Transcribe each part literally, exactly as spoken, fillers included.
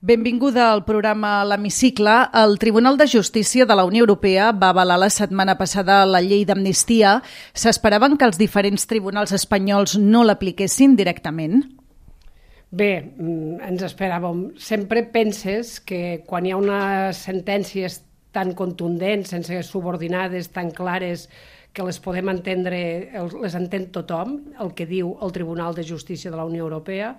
Benvinguda al programa L'Hemicicle. El Tribunal de Justícia de la Unió Europea va avalar la setmana passada la llei d'amnistia. S'esperaven que els diferents tribunals espanyols no l'apliquessin directament? Bé, ens esperàvem. Sempre penses que quan hi ha unes sentències tan contundents, sense subordinades, tan clares, que les podem entendre, les entén tothom, el que diu el Tribunal de Justícia de la Unió Europea,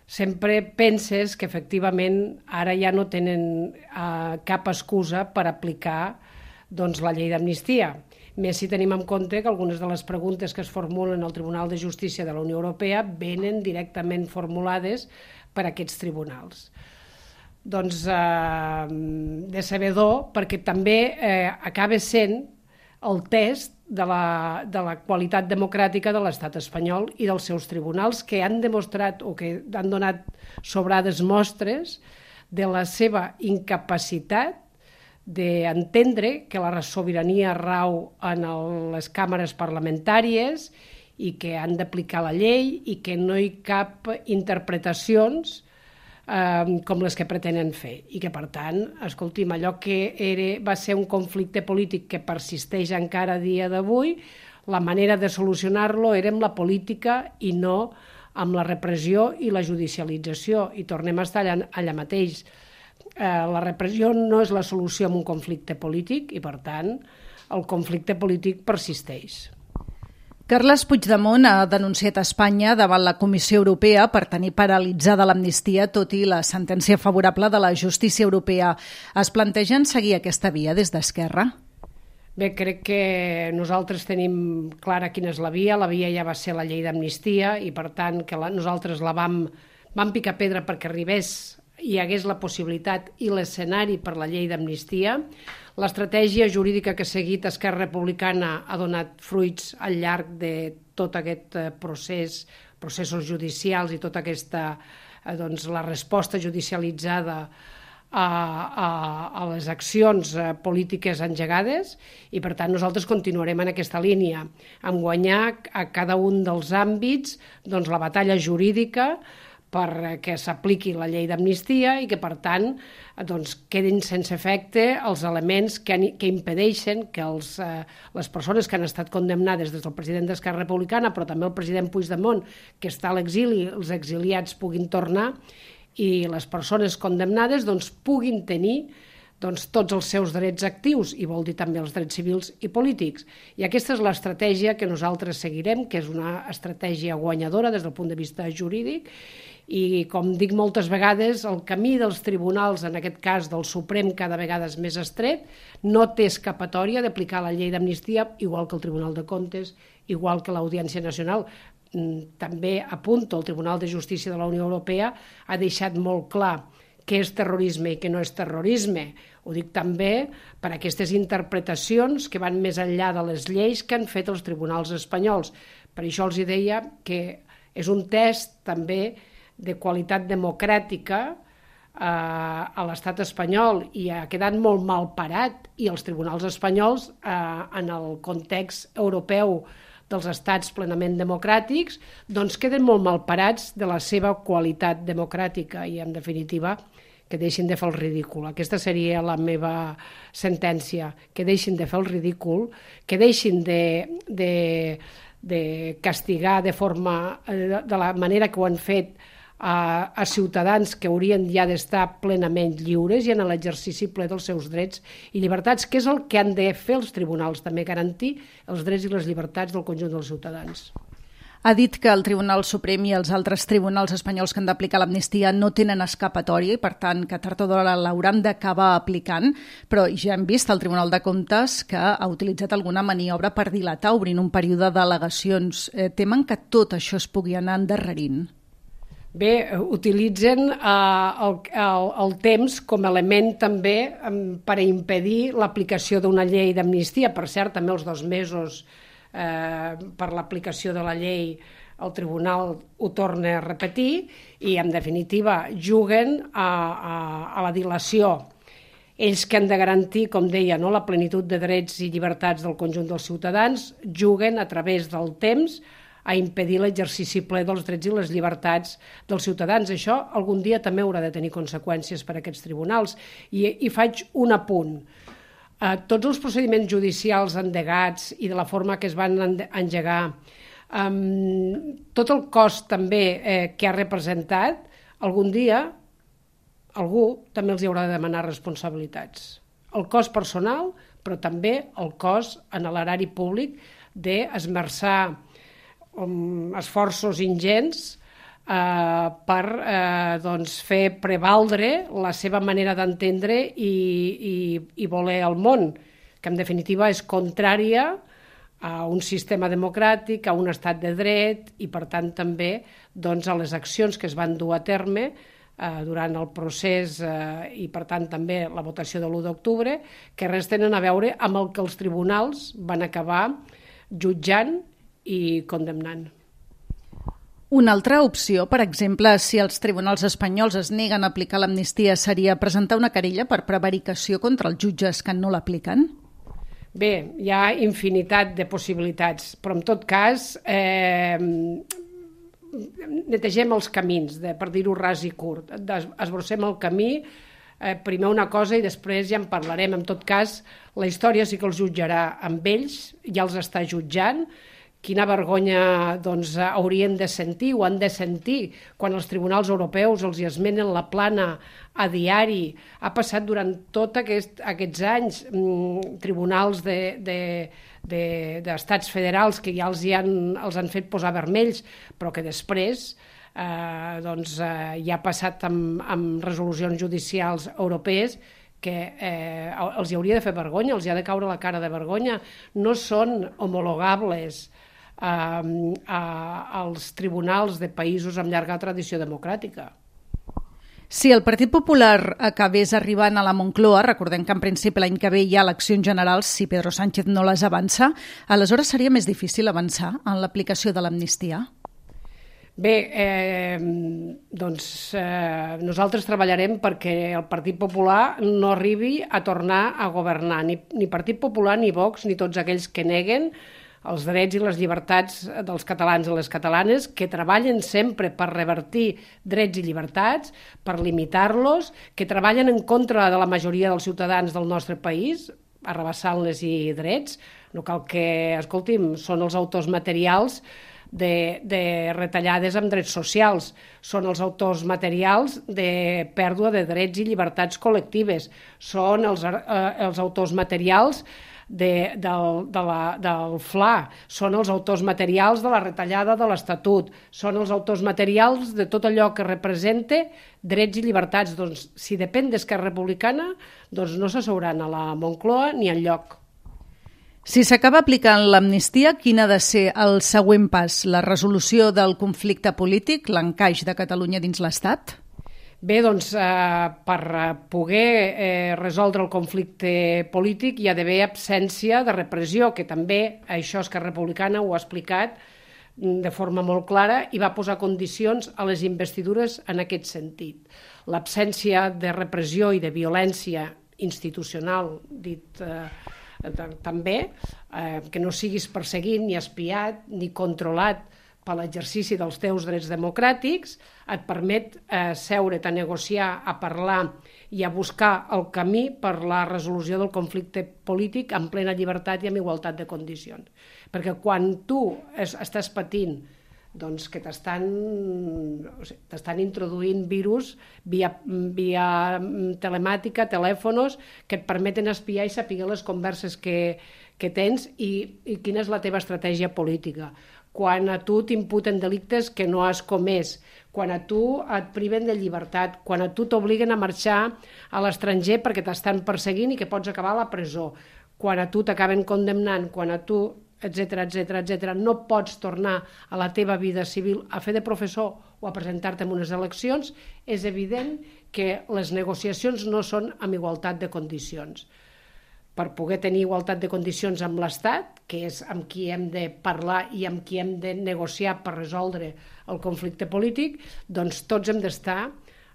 sempre penses que efectivament ara ja no tenen uh, cap excusa per aplicar doncs, la llei d'amnistia. Més si tenim en compte que algunes de les preguntes que es formulen al Tribunal de Justícia de la Unió Europea venen directament formulades per aquests tribunals. Doncs eh, decebedor, perquè també eh, acaba sent el test de la, de la qualitat democràtica de l'estat espanyol i dels seus tribunals, que han demostrat o que han donat sobrades mostres de la seva incapacitat d'entendre que la sobirania rau en les càmeres parlamentàries i que han d'aplicar la llei i que no hi cap interpretacions eh, com les que pretenen fer. I que, per tant, escolti'm, allò que era, va ser un conflicte polític que persisteix encara a dia d'avui, la manera de solucionar-lo era amb la política i no amb la repressió i la judicialització. I tornem a estar allà, allà mateix. Eh, la repressió no és la solució a un conflicte polític i, per tant, el conflicte polític persisteix. Carles Puigdemont ha denunciat a Espanya davant la Comissió Europea per tenir paralitzada l'amnistia, tot i la sentència favorable de la justícia europea. Es plantegen seguir aquesta via des d'Esquerra? Bé, crec que nosaltres tenim clara quina és la via. La via ja va ser la llei d'amnistia i, per tant, que la, nosaltres la vam, vam picar pedra perquè arribés i hi hagués la possibilitat i l'escenari per la llei d'amnistia. L'estratègia jurídica que ha seguit Esquerra Republicana ha donat fruits al llarg de tot aquest procés, processos judicials i tota aquesta, doncs, la resposta judicialitzada a, a, a les accions polítiques engegades i, per tant, nosaltres continuarem en aquesta línia, en guanyar a cada un dels àmbits doncs, la batalla jurídica perquè s'apliqui la llei d'amnistia i que, per tant, doncs, quedin sense efecte els elements que, han, que impedeixen que els, eh, les persones que han estat condemnades des del president d'Esquerra Republicana, però també el president Puigdemont, que està a l'exili, els exiliats puguin tornar i les persones condemnades doncs, puguin tenir doncs, tots els seus drets actius, i vol dir també els drets civils i polítics. I aquesta és l'estratègia que nosaltres seguirem, que és una estratègia guanyadora des del punt de vista jurídic, i, com dic moltes vegades, el camí dels tribunals, en aquest cas del Suprem, cada vegada és més estret, no té escapatòria d'aplicar la llei d'amnistia, igual que el Tribunal de Comptes, igual que l'Audiència Nacional. També apunto, el Tribunal de Justícia de la Unió Europea ha deixat molt clar què és terrorisme i què no és terrorisme. Ho dic també per aquestes interpretacions que van més enllà de les lleis que han fet els tribunals espanyols. Per això els deia que és un test també de qualitat democràtica eh, a l'estat espanyol i ha quedat molt mal parat i els tribunals espanyols eh, en el context europeu dels estats plenament democràtics doncs queden molt mal parats de la seva qualitat democràtica i, en definitiva, que deixin de fer el ridícul. Aquesta seria la meva sentència, que deixin de fer el ridícul, que deixin de, de, de castigar de forma, de la manera que ho han fet a, a ciutadans que haurien ja d'estar plenament lliures i en l'exercici ple dels seus drets i llibertats, que és el que han de fer els tribunals, també garantir els drets i les llibertats del conjunt dels ciutadans. Ha dit que el Tribunal Suprem i els altres tribunals espanyols que han d'aplicar l'amnistia no tenen escapatòria i, per tant, que tard o d'hora l'hauran d'acabar aplicant, però ja hem vist al Tribunal de Comptes que ha utilitzat alguna maniobra per dilatar, obrint un període d'al·legacions. Eh, temen que tot això es pugui anar endarrerint? Bé, utilitzen eh, el, el, el temps com a element també eh, per impedir l'aplicació d'una llei d'amnistia. Per cert, també els dos mesos eh, per l'aplicació de la llei el tribunal ho torna a repetir i, en definitiva, juguen a, a, a la dilació. Ells que han de garantir, com deia, no, la plenitud de drets i llibertats del conjunt dels ciutadans, juguen a través del temps a impedir l'exercici ple dels drets i les llibertats dels ciutadans. Això algun dia també haurà de tenir conseqüències per a aquests tribunals. I, i faig un apunt. Eh, tots els procediments judicials endegats i de la forma que es van engegar, eh, tot el cost també eh, que ha representat, algun dia algú també els hi haurà de demanar responsabilitats. El cost personal, però també el cost en l'erari públic d'esmerçar um, esforços ingents eh, per eh, doncs, fer prevaldre la seva manera d'entendre i, i, i voler el món, que en definitiva és contrària a un sistema democràtic, a un estat de dret i per tant també doncs, a les accions que es van dur a terme durant el procés eh, i per tant també la votació de l'u d'octubre, que res tenen a veure amb el que els tribunals van acabar jutjant i condemnant. Una altra opció, per exemple, si els tribunals espanyols es neguen a aplicar l'amnistia, seria presentar una querella per prevaricació contra els jutges que no l'apliquen? Bé, hi ha infinitat de possibilitats, però en tot cas eh, netegem els camins, de, per dir-ho ras i curt, esbrossem el camí, eh, primer una cosa i després ja en parlarem. En tot cas, la història sí que els jutjarà amb ells, ja els està jutjant. Quina vergonya doncs, haurien de sentir o han de sentir quan els tribunals europeus els hi esmenen la plana a diari. Ha passat durant tots aquest, aquests anys mmm, tribunals de, de, de, d'estats federals que ja els, hi han, els han fet posar vermells, però que després eh, doncs, eh, ja ha passat amb, amb resolucions judicials europees que eh, els hi hauria de fer vergonya, els hi ha de caure la cara de vergonya. No són homologables als tribunals de països amb llarga tradició democràtica. Si el Partit Popular acabés arribant a la Moncloa, recordem que en principi l'any que ve hi ha eleccions generals, si Pedro Sánchez no les avança, aleshores seria més difícil avançar en l'aplicació de l'amnistia? Bé, eh, doncs eh, nosaltres treballarem perquè el Partit Popular no arribi a tornar a governar, ni, ni Partit Popular, ni Vox, ni tots aquells que neguen els drets i les llibertats dels catalans i les catalanes, que treballen sempre per revertir drets i llibertats, per limitar-los, que treballen en contra de la majoria dels ciutadans del nostre país, arrabassant-les i drets. No cal que, escolti'm, són els autors materials de, de retallades amb drets socials, són els autors materials de pèrdua de drets i llibertats col·lectives, són els, eh, els autors materials De, del, de la, del F L A, són els autors materials de la retallada de l'Estatut, són els autors materials de tot allò que representa drets i llibertats. Doncs, si depèn d'Esquerra Republicana, doncs no s'asseuran a la Moncloa ni enlloc. Si s'acaba aplicant l'amnistia, quin ha de ser el següent pas? La resolució del conflicte polític, l'encaix de Catalunya dins l'Estat? Bé, doncs, eh, per poder eh, resoldre el conflicte polític hi ha d'haver absència de repressió, que també això Esquerra Republicana ho ha explicat de forma molt clara i va posar condicions a les investidures en aquest sentit. L'absència de repressió i de violència institucional, dit eh, també, eh, que no siguis perseguit, ni espiat, ni controlat per l'exercici dels teus drets democràtics, et permet eh, seure't a negociar, a parlar i a buscar el camí per la resolució del conflicte polític en plena llibertat i amb igualtat de condicions. Perquè quan tu es, estàs patint doncs, que t'estan, o sigui, t'estan introduint virus via, via telemàtica, telèfonos, que et permeten espiar i saber les converses que, que tens i, i quina és la teva estratègia política. Quan a tu t'imputen delictes que no has comès, quan a tu et priven de llibertat, quan a tu t'obliguen a marxar a l'estranger perquè t'estan perseguint i que pots acabar a la presó, quan a tu t'acaben condemnant, quan a tu, etcètera, etcètera, etcètera, no pots tornar a la teva vida civil a fer de professor o a presentar-te en unes eleccions, és evident que les negociacions no són amb igualtat de condicions. Per poder tenir igualtat de condicions amb l'Estat, que és amb qui hem de parlar i amb qui hem de negociar per resoldre el conflicte polític, doncs tots hem d'estar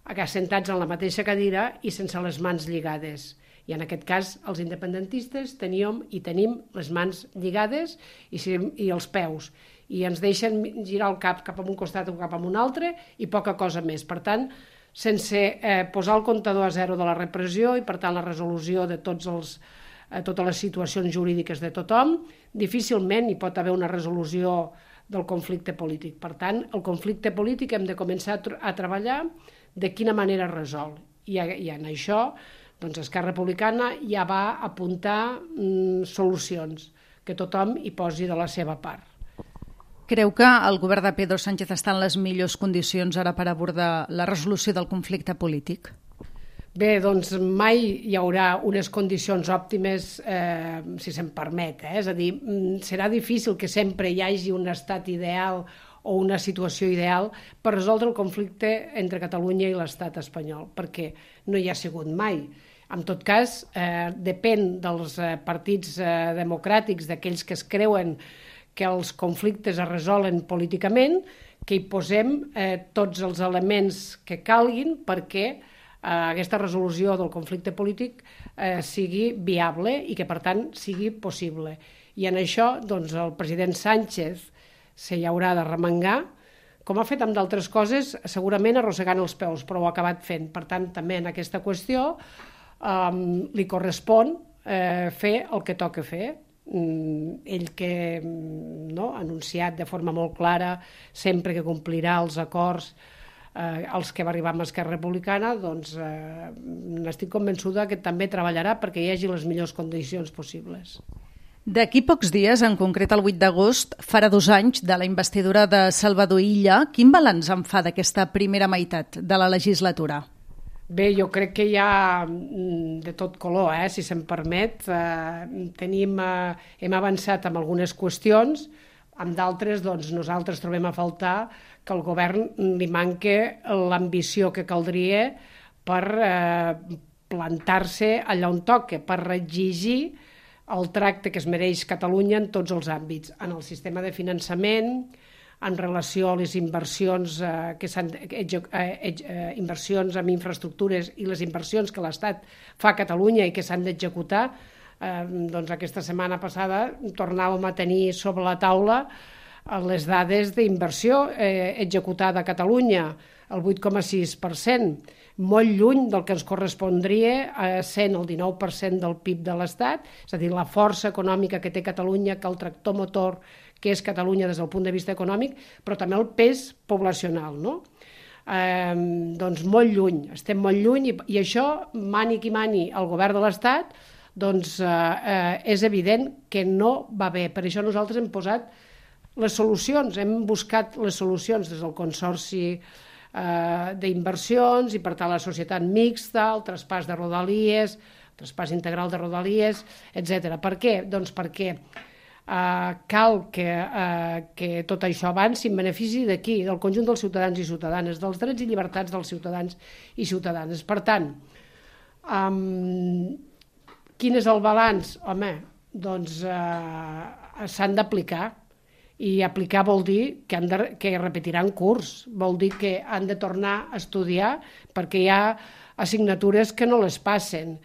assentats en la mateixa cadira i sense les mans lligades. I en aquest cas els independentistes teníem i tenim les mans lligades i, i els peus. i ens deixen girar el cap cap a un costat o cap a un altre i poca cosa més. Per tant, sense eh, posar el comptador a zero de la repressió i, per tant, la resolució de tots els, eh, totes les situacions jurídiques de tothom, difícilment hi pot haver una resolució del conflicte polític. Per tant, el conflicte polític hem de començar a, tr- a treballar de quina manera es resol. I, i en això, doncs, Esquerra Republicana ja va apuntar mm, solucions, que tothom hi posi de la seva part. Creu que el govern de Pedro Sánchez està en les millors condicions ara per abordar la resolució del conflicte polític? Bé, doncs mai hi haurà unes condicions òptimes, eh, si se'm permet. Eh? És a dir, serà difícil que sempre hi hagi un estat ideal o una situació ideal per resoldre el conflicte entre Catalunya i l'estat espanyol, perquè no hi ha sigut mai. En tot cas, eh, depèn dels eh, partits eh, democràtics, d'aquells que es creuen que els conflictes es resolen políticament, que hi posem eh, tots els elements que calguin perquè eh, aquesta resolució del conflicte polític eh, sigui viable i que, per tant, sigui possible. I en això, doncs, el president Sánchez se hi haurà de remengar, com ha fet amb d'altres coses, segurament arrossegant els peus, però ho ha acabat fent. Per tant, també en aquesta qüestió eh, li correspon eh, fer el que toca fer. Ell que no, ha anunciat de forma molt clara sempre que complirà els acords eh, als que va arribar amb Esquerra Republicana, doncs eh, n'estic convençuda que també treballarà perquè hi hagi les millors condicions possibles. D'aquí pocs dies, en concret el vuit d'agost, farà dos anys de la investidura de Salvador Illa. Quin balanç en fa d'aquesta primera meitat de la legislatura? Bé, jo crec que hi ha de tot color, eh, si se'm permet. Eh, tenim, eh, hem avançat en algunes qüestions, amb d'altres doncs, nosaltres trobem a faltar que al govern li manque l'ambició que caldria per eh, plantar-se allà on toca, per exigir el tracte que es mereix Catalunya en tots els àmbits, en el sistema de finançament, en relació a les inversions eh, que s'han eh, eh, inversions en infraestructures i les inversions que l'Estat fa a Catalunya i que s'han d'executar. Eh, doncs aquesta setmana passada tornàvem a tenir sobre la taula les dades d'inversió eh, executada a Catalunya, el vuit coma sis per cent, molt lluny del que ens correspondria eh, sent el dinou per cent del P I B de l'Estat, és a dir, la força econòmica que té Catalunya, que el tractor motor que és Catalunya des del punt de vista econòmic, però també el pes poblacional, no? Eh, doncs molt lluny, estem molt lluny i, i això, mani qui mani el govern de l'Estat, doncs eh, eh, és evident que no va bé. Per això nosaltres hem posat les solucions, hem buscat les solucions des del Consorci eh, d'inversions i per tant la societat mixta, el traspàs de Rodalies, el traspàs integral de Rodalies, etcètera. Per què? Doncs perquè Uh, cal que, uh, que tot això avanci en benefici d'aquí, del conjunt dels ciutadans i ciutadanes, dels drets i llibertats dels ciutadans i ciutadanes. Per tant, um, quin és el balanç? Home, doncs uh, s'han d'aplicar, i aplicar vol dir que, han de, que repetiran curs, vol dir que han de tornar a estudiar perquè hi ha assignatures que no les passen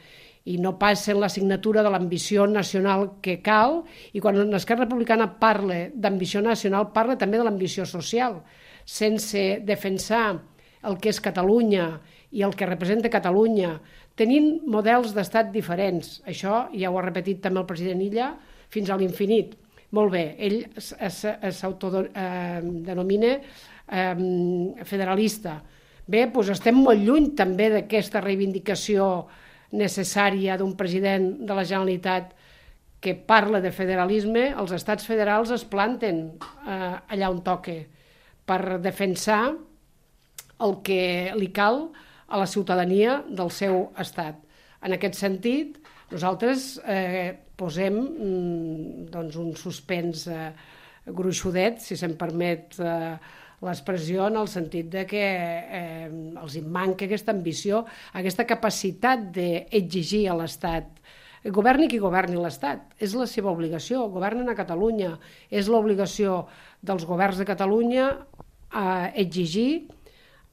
i no passen l'assignatura de l'ambició nacional que cal, i quan l'Esquerra Republicana parla d'ambició nacional, parla també de l'ambició social, sense defensar el que és Catalunya i el que representa Catalunya, tenint models d'estat diferents. Això ja ho ha repetit també el president Illa fins a l'infinit. Molt bé, ell s'autodenomina eh, federalista. Bé, doncs estem molt lluny també d'aquesta reivindicació necessària d'un president de la Generalitat que parla de federalisme. Els estats federals es planten eh, allà on toca per defensar el que li cal a la ciutadania del seu estat. En aquest sentit, nosaltres eh, posem mm, doncs un suspens eh, gruixudet, si se'm permet eh, l'expressió, en el sentit de que eh, els manca aquesta ambició, aquesta capacitat d'exigir a l'Estat. Governi qui governi l'Estat, és la seva obligació, governen a Catalunya, és l'obligació dels governs de Catalunya a exigir,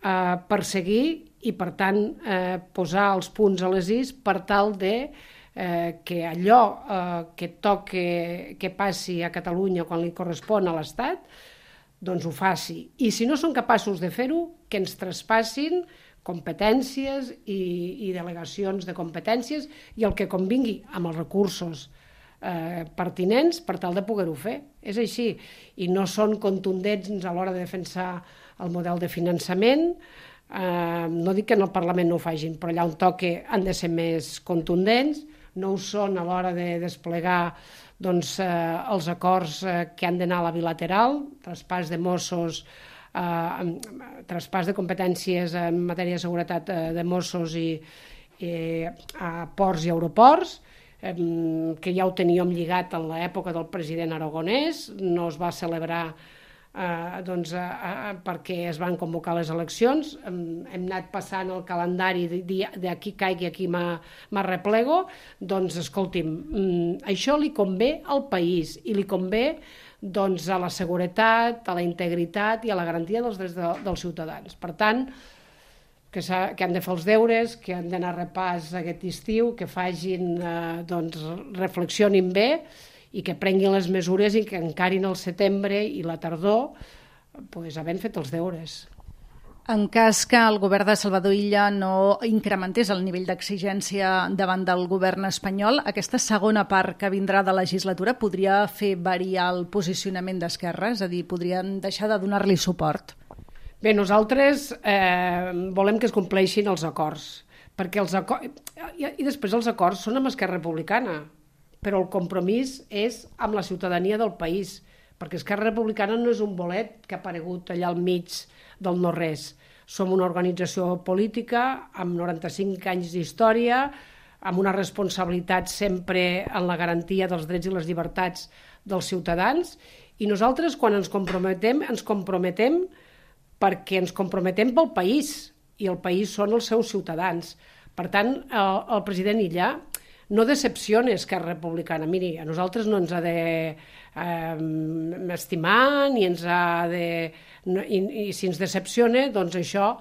a perseguir i, per tant, eh, posar els punts a les is per tal de eh, que allò eh, que toque que passi a Catalunya quan li correspon a l'Estat, doncs ho faci. I si no són capaços de fer-ho, que ens traspassin competències i, i delegacions de competències i el que convingui amb els recursos eh, pertinents per tal de poder-ho fer. És així. I no són contundents a l'hora de defensar el model de finançament. Eh, no dic que en el Parlament no ho facin, però allà on toque han de ser més contundents. No ho són a l'hora de desplegar doncs, eh, els acords eh, que han d'anar a la bilateral, traspàs de Mossos, eh, traspàs de competències en matèria de seguretat eh, de Mossos i, i a ports i aeroports, eh, que ja ho teníem lligat en l'època del president Aragonès, no es va celebrar eh, doncs, eh, perquè es van convocar les eleccions. Hem, hem anat passant el calendari d'aquí caigui, aquí m'arreplego. Doncs, escolti'm, això li convé al país i li convé doncs, a la seguretat, a la integritat i a la garantia dels drets de, dels ciutadans. Per tant, que, que han de fer els deures, que han d'anar a repàs aquest estiu, que facin, eh, doncs, reflexionin bé i que prenguin les mesures i que encarin el setembre i la tardor pues, havent fet els deures. En cas que el govern de Salvador Illa no incrementés el nivell d'exigència davant del govern espanyol, aquesta segona part que vindrà de legislatura podria fer variar el posicionament d'Esquerra? És a dir, podrien deixar de donar-li suport? Bé, nosaltres eh, volem que es compleixin els acords, perquè els acords... I, i després els acords són amb Esquerra Republicana, però el compromís és amb la ciutadania del país, perquè Esquerra Republicana no és un bolet que ha aparegut allà al mig del no-res. Som una organització política amb noranta-cinc anys d'història, amb una responsabilitat sempre en la garantia dels drets i les llibertats dels ciutadans, i nosaltres quan ens comprometem, ens comprometem perquè ens comprometem pel país, i el país són els seus ciutadans. Per tant, el, el president Illa no decepciona Esquerra Republicana. Miri, a nosaltres no ens ha de eh, estimar, ni ens ha de... No, i, i si ens decepciona, doncs això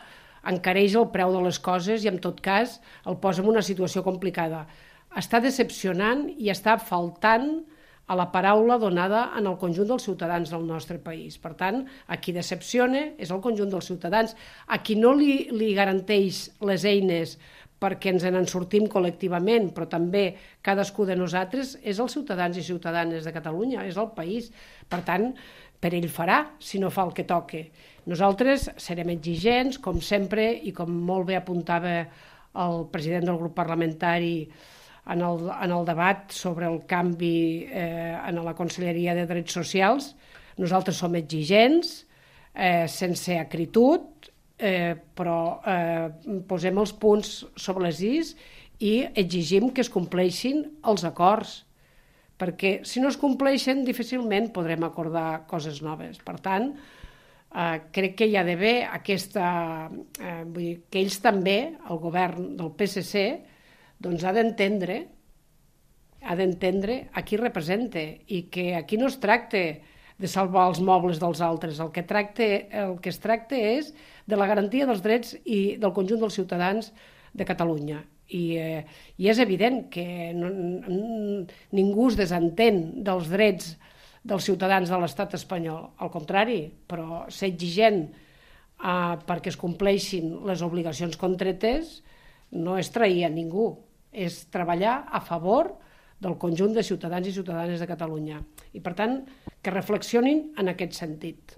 encareix el preu de les coses i en tot cas el posa en una situació complicada. Està decepcionant i està faltant a la paraula donada en el conjunt dels ciutadans del nostre país. Per tant, a qui decepciona és el conjunt dels ciutadans. A qui no li, li garanteix les eines perquè ens en sortim col·lectivament, però també cadascú de nosaltres, és els ciutadans i ciutadanes de Catalunya, és el país. Per tant, per ell farà, si no fa el que toque. Nosaltres serem exigents, com sempre, i com molt bé apuntava el president del grup parlamentari en el, en el debat sobre el canvi eh, en la Conselleria de Drets Socials, nosaltres som exigents, eh, sense acritud, Eh, però eh, posem els punts sobre les is i exigim que es compleixin els acords, perquè si no es compleixen difícilment podrem acordar coses noves. Per tant, eh, crec que hi ha d'haver aquesta... Eh, vull dir, que ells també, el govern del P S C, doncs ha d'entendre ha d'entendre a qui representa i que aquí no es tracta de salvar els mobles dels altres. El que, tracta, el que es tracta és de la garantia dels drets i del conjunt dels ciutadans de Catalunya. I, eh, i és evident que no, ningú es desentén dels drets dels ciutadans de l'estat espanyol. Al contrari, però ser exigent eh, perquè es compleixin les obligacions contretes no és trair a ningú, és treballar a favor del conjunt de ciutadans i ciutadanes de Catalunya. I, per tant, que reflexionin en aquest sentit.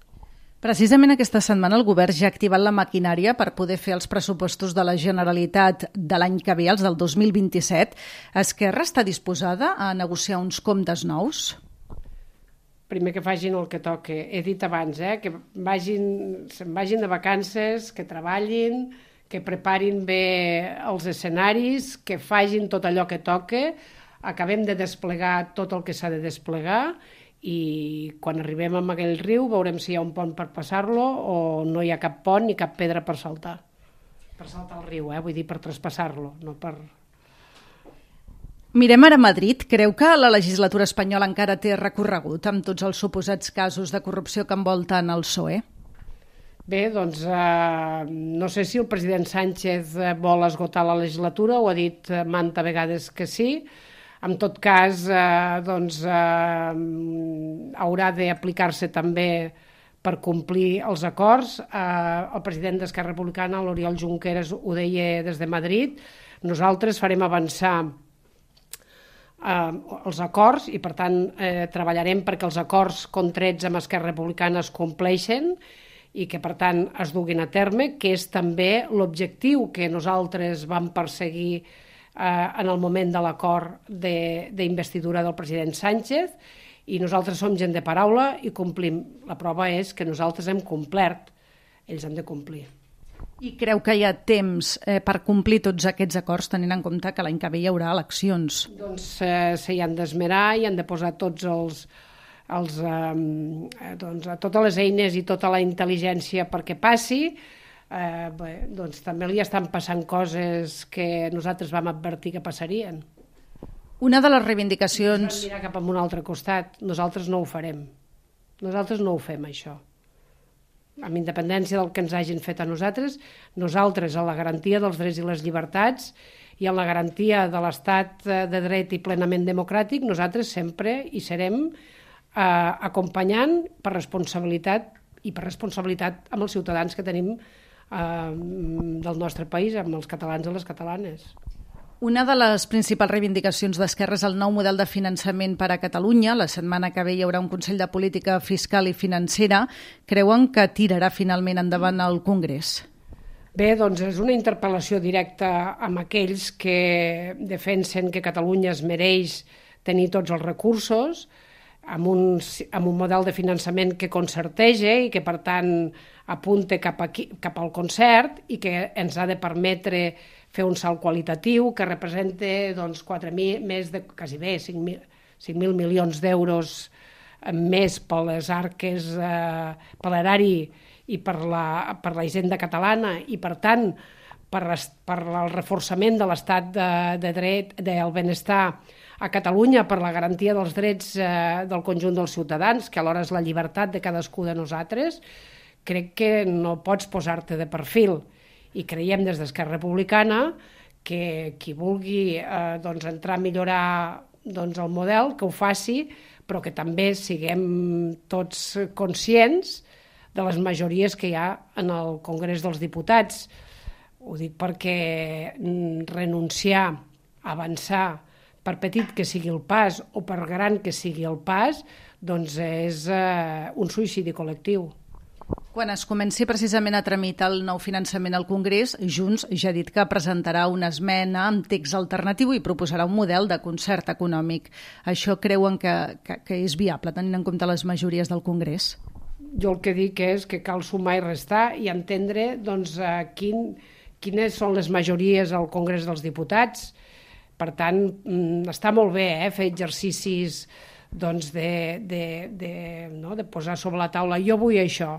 Precisament aquesta setmana el govern ja ha activat la maquinària per poder fer els pressupostos de la Generalitat de l'any que ve, els del dos mil vint-i-set. Esquerra està disposada a negociar uns comptes nous? Primer que facin el que toque. He dit abans, eh, que vagin, se'n vagin de vacances, que treballin, que preparin bé els escenaris, que facin tot allò que toque, acabem de desplegar tot el que s'ha de desplegar i quan arribem a aquell riu veurem si hi ha un pont per passar-lo o no hi ha cap pont ni cap pedra per saltar. Per saltar el riu, eh? Vull dir, per traspassar-lo, no per... Mirem ara a Madrid. Creu que la legislatura espanyola encara té recorregut amb tots els suposats casos de corrupció que envolten el P S O E? Bé, doncs eh, no sé si el president Sánchez vol esgotar la legislatura, ho ha dit manta vegades que sí, En tot cas, eh, doncs, eh, haurà d'aplicar-se també per complir els acords. Eh, el president d'Esquerra Republicana, l'Oriol Junqueras, ho deia des de Madrid. Nosaltres farem avançar eh, els acords i, per tant, eh, treballarem perquè els acords contrets amb Esquerra Republicana es compleixen i que, per tant, es duguin a terme, que és també l'objectiu que nosaltres vam perseguir eh, en el moment de l'acord d'investidura de, del president Sánchez, i nosaltres som gent de paraula i complim. La prova és que nosaltres hem complert, ells han de complir. I creu que hi ha temps eh, per complir tots aquests acords, tenint en compte que l'any que ve hi haurà eleccions? Doncs eh, s'hi han d'esmerar i han de posar tots els, els, eh, doncs, totes les eines i tota la intel·ligència perquè passi. Eh, bé, doncs també li estan passant coses que nosaltres vam advertir que passarien. Una de les reivindicacions... Ens van mirar cap a un altre costat. Nosaltres no ho farem. Nosaltres no ho fem, això. Amb independència del que ens hagin fet a nosaltres, nosaltres, a la garantia dels drets i les llibertats i a la garantia de l'estat de dret i plenament democràtic, nosaltres sempre hi serem eh, acompanyant per responsabilitat i per responsabilitat amb els ciutadans que tenim eh, del nostre país, amb els catalans i les catalanes. Una de les principals reivindicacions d'Esquerra és el nou model de finançament per a Catalunya. La setmana que ve hi haurà un Consell de Política Fiscal i Financera. Creuen que tirarà finalment endavant el Congrés? Bé, doncs és una interpel·lació directa amb aquells que defensen que Catalunya es mereix tenir tots els recursos, amb un, amb un model de finançament que concertege i que, per tant, apunte cap, aquí, cap al concert i que ens ha de permetre fer un salt qualitatiu que representa doncs, quatre mil, més de, quasi bé, cinc mil milions d'euros més per les arques, eh, per l'erari i per la, per la hisenda catalana i, per tant, per, per el reforçament de l'estat de, de dret, del benestar a Catalunya, per la garantia dels drets eh, del conjunt dels ciutadans, que alhora és la llibertat de cadascú de nosaltres, crec que no pots posar-te de perfil. I creiem des d'Esquerra Republicana que qui vulgui eh, doncs, entrar a millorar doncs, el model, que ho faci, però que també siguem tots conscients de les majories que hi ha en el Congrés dels Diputats. Ho dic perquè renunciar, avançar, per petit que sigui el pas o per gran que sigui el pas, doncs és eh, un suïcidi col·lectiu. Quan es comenci precisament a tramitar el nou finançament al Congrés, Junts ja ha dit que presentarà una esmena amb text alternatiu i proposarà un model de concert econòmic. Això creuen que, que, que és viable, tenint en compte les majories del Congrés? Jo el que dic és que cal sumar i restar i entendre doncs, quin, quines són les majories al Congrés dels Diputats. Per tant, està molt bé eh, fer exercicis doncs, de, de, de, no, de posar sobre la taula jo vull això,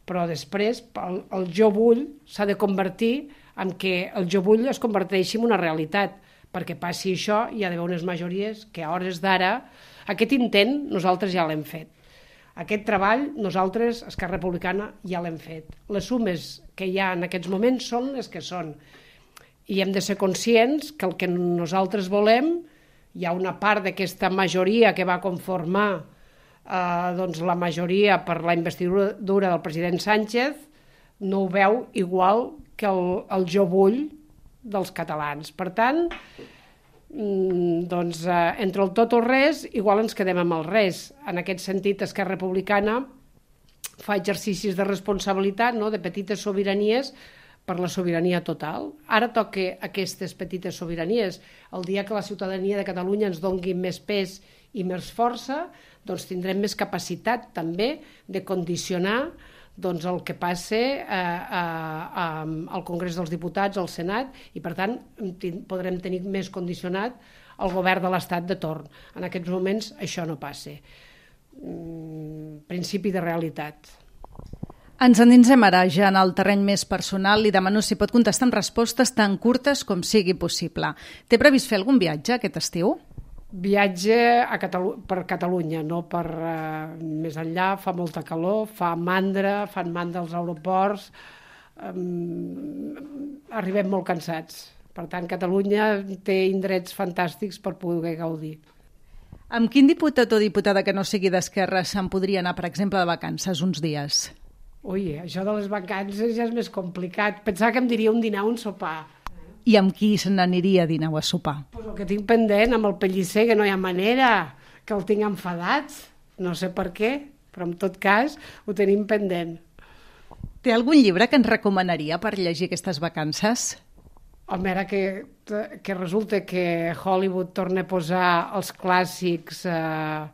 però després el, el jo vull s'ha de convertir en que el jo vull es converteixi en una realitat. Perquè passi això hi ha d'haver unes majories que a hores d'ara, aquest intent nosaltres ja l'hem fet. Aquest treball nosaltres, Esquerra Republicana, ja l'hem fet. Les sumes que hi ha en aquests moments són les que són. I hem de ser conscients que el que nosaltres volem, hi ha una part d'aquesta majoria que va conformar eh, doncs la majoria per la investidura del president Sánchez, no ho veu igual que el, el jo vull dels catalans. Per tant, doncs, eh, entre el tot o res, igual ens quedem amb el res. En aquest sentit, Esquerra Republicana fa exercicis de responsabilitat, no?, de petites sobiranies, per la sobirania total. Ara toca aquestes petites sobiranies. El dia que la ciutadania de Catalunya ens doni més pes i més força, doncs tindrem més capacitat també de condicionar doncs, el que passa eh, a, a, al Congrés dels Diputats, al Senat, i per tant podrem tenir més condicionat el govern de l'Estat de torn. En aquests moments això no passa. Mm, principi de realitat. Ens endinsem ara ja en el terreny més personal. Li demano si pot contestar amb respostes tan curtes com sigui possible. Té previst fer algun viatge aquest estiu? Viatge a Catalu- per Catalunya, no per uh, més enllà. Fa molta calor, fa mandra, fan mandra als aeroports. Um, arribem molt cansats. Per tant, Catalunya té indrets fantàstics per poder gaudir. Amb quin diputat o diputada que no sigui d'Esquerra se'n podria anar, per exemple, de vacances uns dies? Ui, això de les vacances ja és més complicat. Pensava que em diria un dinar o un sopar. I amb qui se n'aniria a dinar o a sopar? Pues el que tinc pendent, amb el Pellicer, que no hi ha manera, que el tinc enfadat. No sé per què, però en tot cas ho tenim pendent. Té algun llibre que ens recomanaria per llegir aquestes vacances? Home, ara que, que resulta que Hollywood torna a posar els clàssics eh,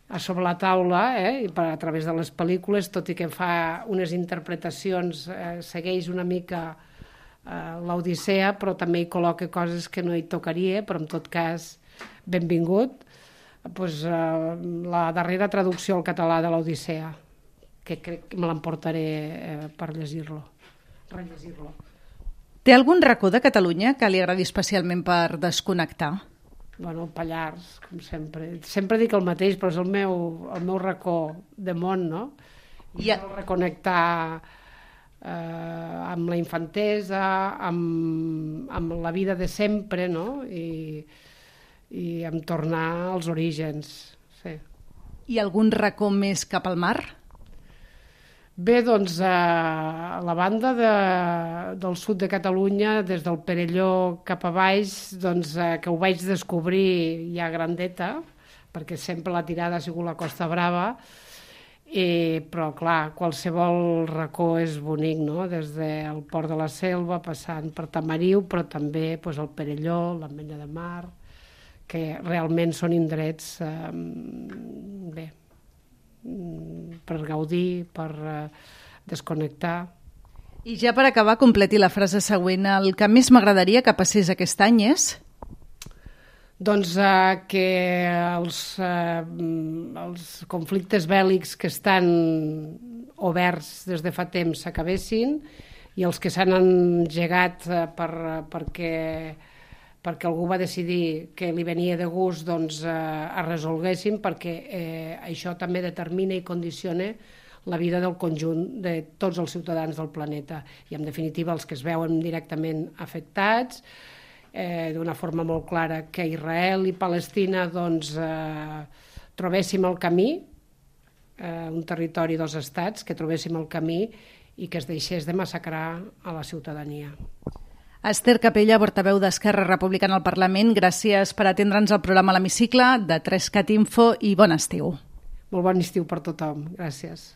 a sobre la taula, eh, i per, a través de les pel·lícules, tot i que fa unes interpretacions, eh, segueix una mica eh, l'Odissea, però també hi col·loca coses que no hi tocaria, però en tot cas, benvingut. Pues, eh, la darrera traducció al català de l'Odissea, que crec que me l'emportaré eh, per llegir-lo, rellegir-lo. Té algun racó de Catalunya que li agradi especialment per desconnectar? Bueno, el Pallars, com sempre. Sempre dic el mateix, però és el meu, el meu racó de món, no? I a... reconnectar eh, amb la infantesa, amb, amb la vida de sempre, no? I, i amb tornar als orígens, sí. I algun racó més cap al mar? Bé, doncs, a la banda de, del sud de Catalunya, des del Perelló cap a baix, doncs, que ho vaig descobrir ja grandeta, perquè sempre la tirada ha sigut la Costa Brava, i, però, clar, qualsevol racó és bonic, no? Des del Port de la Selva, passant per Tamariu, però també doncs, el Perelló, l'Ametlla de Mar, que realment són indrets, eh, bé, per gaudir, per uh, desconnectar. I ja per acabar, completi la frase següent. El que més m'agradaria que passés aquest any és? Doncs uh, que els, uh, els conflictes bèl·lics que estan oberts des de fa temps s'acabessin i els que s'han engegat uh, per, uh, perquè perquè algú va decidir que li venia de gust, doncs eh, es resolguessin, perquè eh, això també determina i condiciona la vida del conjunt de tots els ciutadans del planeta i, en definitiva, els que es veuen directament afectats, eh, d'una forma molt clara que Israel i Palestina doncs, eh, trobéssim el camí, eh, un territori dos estats, que trobéssim el camí i que es deixés de massacrar a la ciutadania. Esther Capella, portaveu d'Esquerra Republicana al Parlament, gràcies per atendre'ns al programa L'Hemicicle de tres cat info i bon estiu. Molt bon estiu per tothom. Gràcies.